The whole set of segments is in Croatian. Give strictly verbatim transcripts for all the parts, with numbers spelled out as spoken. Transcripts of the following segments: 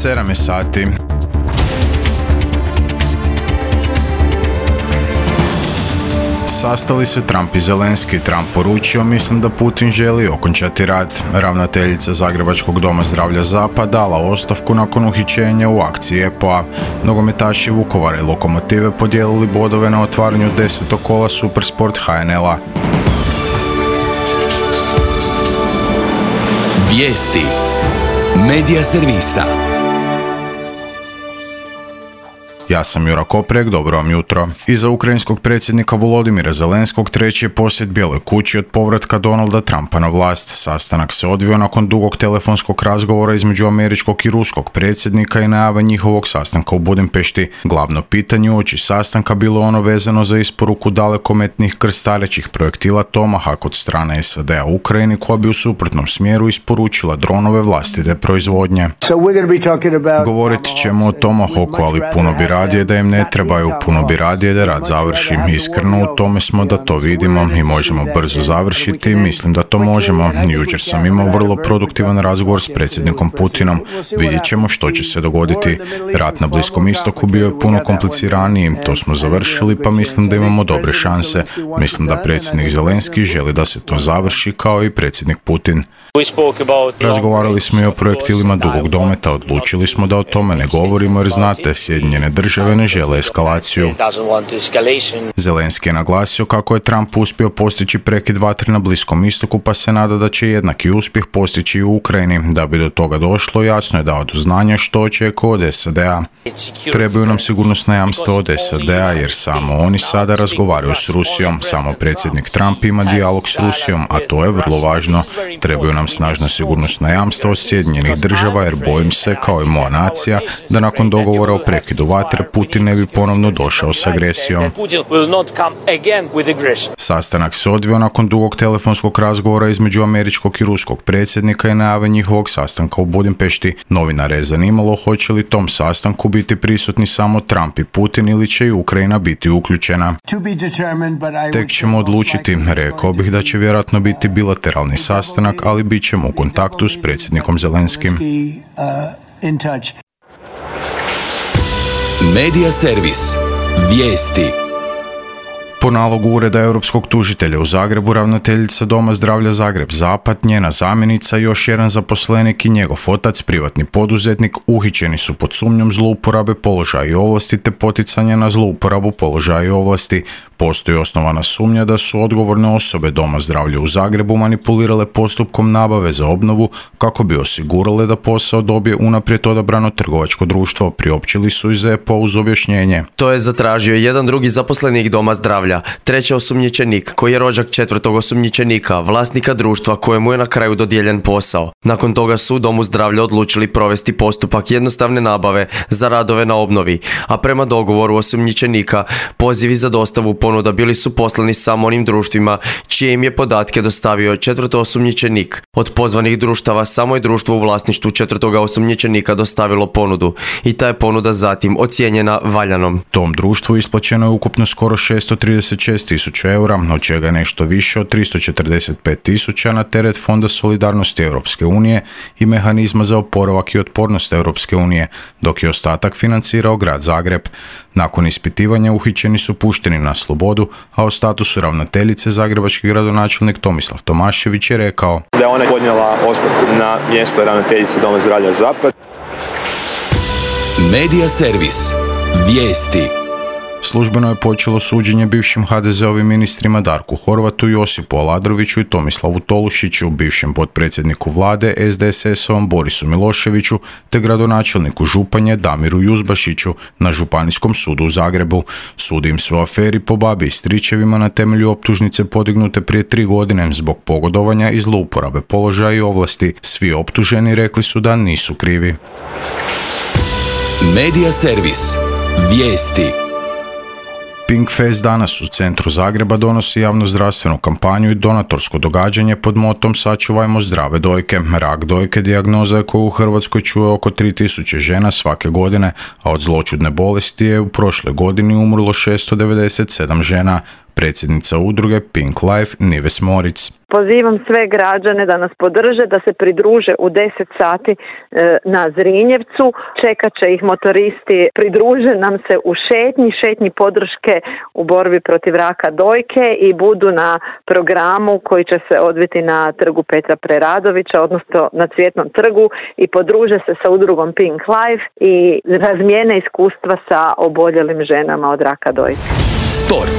sedam je sati. Sastali se Trump i Zelenski. Trump poručio: mislim da Putin želi okončati rat. Ravnateljica Zagrebačkog doma zdravlja Zapad dala ostavku nakon uhićenja u akciji E P O-a. Nogometaši Vukovara i Lokomotive podijelili bodove na otvaranju desetog kola Supersport H N L-a. Vijesti Medija servisa. Ja sam Jura Koprek, dobro vam jutro. Iza ukrajinskog predsjednika Volodimira Zelenskog treći je posjet Bijeloj kući od povratka Donalda Trumpa na vlast. Sastanak se odvio nakon dugog telefonskog razgovora između američkog i ruskog predsjednika i najave njihovog sastanka u Budimpešti. Glavno pitanje uoči sastanka bilo ono vezano za isporuku dalekometnih krstarećih projektila Tomahawk od strane S A D-a u Ukrajini, koja bi u suprotnom smjeru isporučila dronove vlastite proizvodnje. Govorit ćemo o Tomahawku, ali puno bi radije da im ne trebaju, puno bi radije da rad završi. Iskreno u tome smo da to vidimo i možemo brzo završiti. Mislim da to možemo. Jučer sam imao vrlo produktivan razgovor s predsjednikom Putinom. Vidjet ćemo što će se dogoditi. Rat na Bliskom istoku bio je puno kompliciraniji. To smo završili, pa mislim da imamo dobre šanse. Mislim da predsjednik Zelenski želi da se to završi, kao i predsjednik Putin. Razgovarali smo i o projektilima dugog dometa. Odlučili smo da o tome ne govorimo jer, znate, Sjedinjene države ne žele eskalaciju. Zelenski je naglasio kako je Trump uspio postići prekid vatre na Bliskom istoku, pa se nada da će jednaki uspjeh postići i u Ukrajini. Da bi do toga došlo, jasno je dao do znanja što očekuje od S A D-a. Trebaju nam sigurnosna jamstva od S A D-a jer samo oni sada razgovaraju s Rusijom. Samo predsjednik Trump ima dijalog s Rusijom, a to je vrlo važno. Trebaju nam snažna sigurnosna jamstva od Sjedinjenih država jer bojim se, kao i moja nacija, da nakon dogovora o prekidu vatre Putin ne bi ponovno došao s agresijom. Sastanak se odvio nakon dugog telefonskog razgovora između američkog i ruskog predsjednika i najave njihovog sastanka u Budimpešti. Novinare je zanimalo hoće li tom sastanku biti prisutni samo Trump i Putin ili će i Ukrajina biti uključena. Tek ćemo odlučiti. Rekao bih da će vjerojatno biti bilateralni sastanak, ali bit ćemo u kontaktu s predsjednikom Zelenskim. Medija servis. Vijesti. Po nalogu Ureda europskog tužitelja u Zagrebu, ravnateljica Doma zdravlja Zagreb Zapad, njena zamjenica i još jedan zaposlenik i njegov otac, privatni poduzetnik, uhićeni su pod sumnjom zlouporabe položaja i ovlasti te poticanja na zlouporabu položaja i ovlasti. Postoji osnovana sumnja da su odgovorne osobe Doma zdravlja u Zagrebu manipulirale postupkom nabave za obnovu kako bi osigurale da posao dobije unaprijed odabrano trgovačko društvo. Priopćili su iz E P O uz objašnjenje. To je zatražio jedan drugi zaposlenik Doma zdravlja, treći osumnjičenik koji je rođak četvrtog osumnjičenika, vlasnika društva kojemu je na kraju dodijeljen posao. Nakon toga su u Domu zdravlja odlučili provesti postupak jednostavne nabave za radove na obnovi, a prema dogovoru osumnjičenika pozivi za dostavu ponuda bili su poslani samo onim društvima čije im je podatke dostavio četvrto osumnjičenik. Od pozvanih društava samo je društvo u vlasništvu četvrtoga osumnjičenika dostavilo ponudu i ta je ponuda zatim ocijenjena valjanom. Tom društvu isplaćeno je ukupno skoro šesto trideset šest tisuća eura, od čega nešto više od tristo četrdeset pet tisuća na teret Fonda solidarnosti Europske unije i Mehanizma za oporavak i otpornost Europske unije, dok je ostatak financirao grad Zagreb. Nakon ispitivanja uhićeni su pušteni na slobodu, a o statusu ravnateljice zagrebački gradonačelnik Tomislav Tomašević je rekao da je ona podnijela ostavku na mjesto ravnateljice Doma zdravlja Zapad. Medija servis. Vijesti. Službeno je počelo suđenje bivšim ha de zeovim ministrima Darku Horvatu, Josipu Aladroviću i Tomislavu Tolušiću, bivšem potpredsjedniku vlade es de es es-ovom Borisu Miloševiću te gradonačelniku Županje Damiru Juzbašiću na Županijskom sudu u Zagrebu. Sudi im se u aferi po babi i stričevima na temelju optužnice podignute prije tri godine zbog pogodovanja i zlouporabe položaja i ovlasti. Svi optuženi rekli su da nisu krivi. Medija servis. Vijesti. Pinkfest danas u centru Zagreba donosi javnozdravstvenu kampanju i donatorsko događanje pod motom Sačuvajmo zdrave dojke. Rak dojke dijagnoza je koju u Hrvatskoj čuje oko tri tisuće žena svake godine, a od zloćudne bolesti je u prošloj godini umrlo šesto devedeset sedam žena. Predsjednica udruge Pink Life Nives Moritz. Pozivam sve građane da nas podrže, da se pridruže u deset sati e, na Zrinjevcu. Čekat će ih motoristi, pridruže nam se u šetnji, šetnji podrške u borbi protiv raka dojke i budu na programu koji će se odviti na trgu Petra Preradovića, odnosno na Cvjetnom trgu, i podruže se sa udrugom Pink Life i razmijene iskustva sa oboljelim ženama od raka dojke. Sport.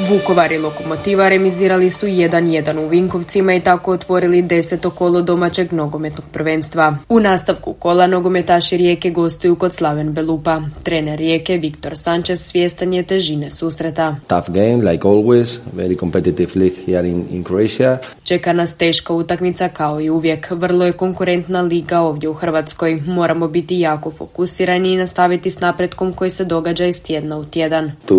Vukovar i Lokomotiva remizirali su jedan jedan u Vinkovcima i tako otvorili deseto kolo domaćeg nogometnog prvenstva. U nastavku kola nogometaši Rijeke gostuju kod Slaven Belupa. Trener Rijeke Viktor Sanchez svjestan je težine susreta. Tough game, like always, very competitive league here in, in Croatia. Čeka nas teška utakmica kao i uvijek. Vrlo je konkurentna liga ovdje u Hrvatskoj. Moramo biti jako fokusirani i nastaviti s napretkom koji se događa iz tjedna u tjedan. To,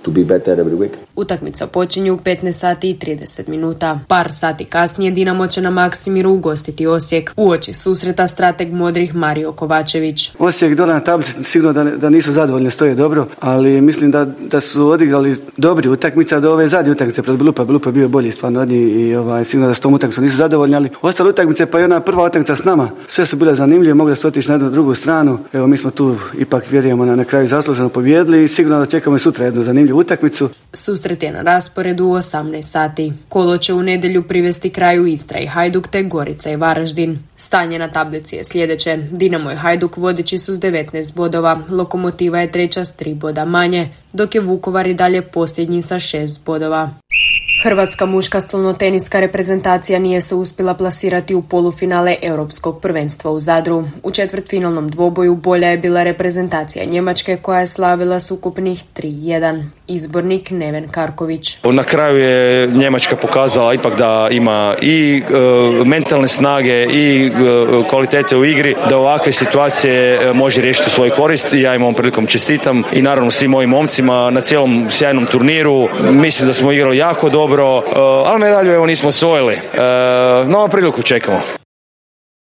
to be better every week. Utakmica počinje u petnaest sati i trideset minuta. Par sati kasnije Dinamo će na Maksimiru ugostiti Osijek. Uoči susreta strateg modrih Mario Kovačević. Osijek dole na tablici sigurno da, da nisu zadovoljni, stoje dobro, ali mislim da, da su odigrali dobri utakmica do ove zadnje utakmice pred Belupa. Belupa je bio bolji stvarno od njih i ovaj, sigurno da s tom utakmicom nisu zadovoljni, ali ostale utakmice pa i ona prva utakmica s nama, sve su bile zanimljive, mogli su otići na jednu drugu stranu. Evo mi smo tu ipak vjerujemo na, na kraju zasluženo pobijedili i sigurno da čekamo i sutra jednu zanimljivu utakmicu. Susret je na rasporedu u osamnaest sati. Kolo će u nedjelju privesti kraju Istra i Hajduk te Gorica i Varaždin. Stanje na tablici je sljedeće. Dinamo i Hajduk vodeći su s devetnaest bodova, Lokomotiva je treća s tri boda manje, dok je Vukovar i dalje posljednji sa šest bodova. Hrvatska muška stolnoteniska reprezentacija nije se uspjela plasirati u polufinale Europskog prvenstva u Zadru. U četvrtfinalnom dvoboju bolja je bila reprezentacija Njemačke koja je slavila s ukupnih tri jedan. Izbornik Neven Karković. Na kraju je Njemačka pokazala ipak da ima i e, mentalne snage i e, kvalitete u igri, da ovakve situacije može riješiti u svoju korist. Ja im ovom prilikom čestitam i naravno svim mojim momcima na cijelom sjajnom turniru. Mislim da smo igrali jako dobro. Dobro, ali medalju evo nismo osvojili. Novu priliku čekamo.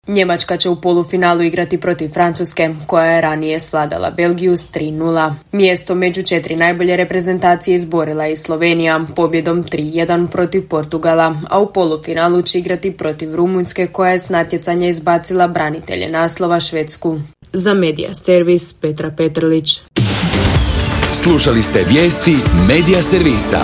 Njemačka će u polufinalu igrati protiv Francuske, koja je ranije svladala Belgiju s tri nula. Mjesto među četiri najbolje reprezentacije izborila je i Slovenija pobjedom tri jedan protiv Portugala, a u polufinalu će igrati protiv Rumunjske, koja je s natjecanja izbacila branitelje naslova Švedsku. Za Medija Servis Petra Petrlić. Slušali ste vijesti Medija Servisa.